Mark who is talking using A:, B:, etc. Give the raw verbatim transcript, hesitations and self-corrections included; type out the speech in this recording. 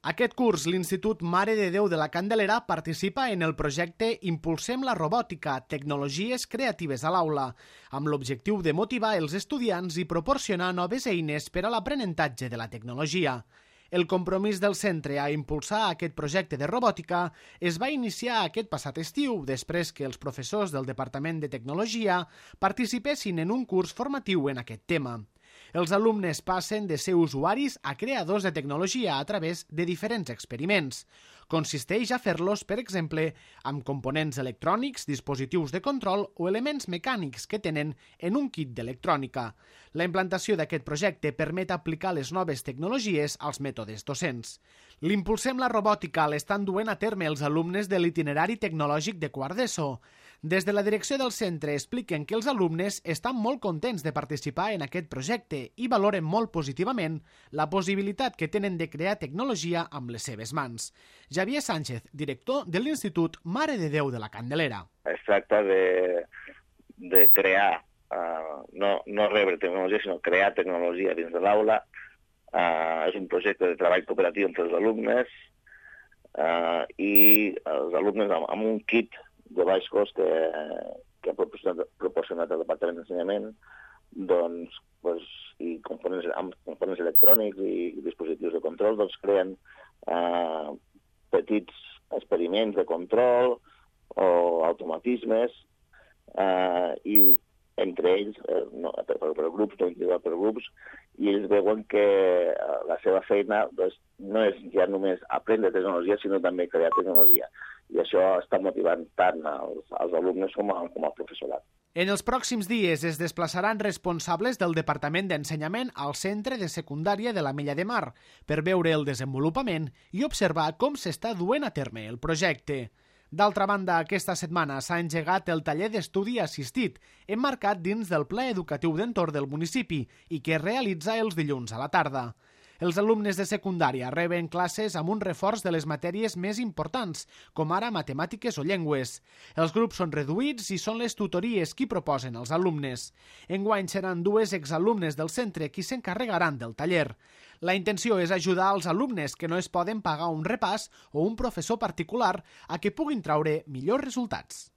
A: Aquest curs, l'Institut Mare de Déu de la Candelera participa en el projecte Impulsem la robòtica, tecnologies creatives a l'aula, amb l'objectiu de motivar els estudiants i proporcionar noves eines per a l'aprenentatge de la tecnologia. El compromís del centre a impulsar aquest projecte de robòtica es va iniciar aquest passat estiu, després que els professors del Departament de Tecnologia participessin en un curs formatiu en aquest tema. Els alumnes passen de ser usuaris a creadors de tecnologia a través de diferents experiments. Consisteix a fer-los, per exemple, amb components electrònics, dispositius de control o elements mecànics que tenen en un kit d'electrònica. La implantació d'aquest projecte permet aplicar les noves tecnologies als mètodes docents. L'Impulsem la robòtica l'estan duent a terme els alumnes de l'itinerari tecnològic de quart d'ESO. Des de la direcció del centre expliquen que els alumnes estan molt contents de participar en aquest projecte i valoren molt positivament la possibilitat que tenen de crear tecnologia amb les seves mans. Javier Sánchez, director de l'Institut Mare de Déu de la Candelera.
B: Es tracta de, de crear, uh, no, no rebre tecnologia, sinó crear tecnologia dins de l'aula. Uh, és un projecte de treball cooperatiu entre els alumnes uh, i els alumnes amb, amb un kit de baix cost que, que ha proporcionat, proporcionat el Departament d'Ensenyament, doncs, pues, i components, amb components electrònics i dispositius de control, doncs creen eh, petits experiments de control o automatismes eh, i entre ells, eh, no, per, per grups, no individual per grups, i ells veuen que eh, la seva feina doncs, no és ja només aprendre tecnologia, sinó també crear tecnologia. I això està motivant tant als, als alumnes com, a, com al professorat.
A: En els pròxims dies es desplaçaran responsables del Departament d'Ensenyament al centre de secundària de l'Ametlla de Mar per veure el desenvolupament i observar com s'està duent a terme el projecte. D'altra banda, aquesta setmana s'ha engegat el taller d'estudi assistit, emmarcat dins del Pla Educatiu d'Entorn del municipi i que es realitza els dilluns a la tarda. Els alumnes de secundària reben classes amb un reforç de les matèries més importants, com ara matemàtiques o llengües. Els grups són reduïts i són les tutories qui proposen als alumnes. Enguany seran dues exalumnes del centre qui s'encarregaran del taller. La intenció és ajudar als alumnes que no es poden pagar un repàs o un professor particular a que puguin traure millors resultats.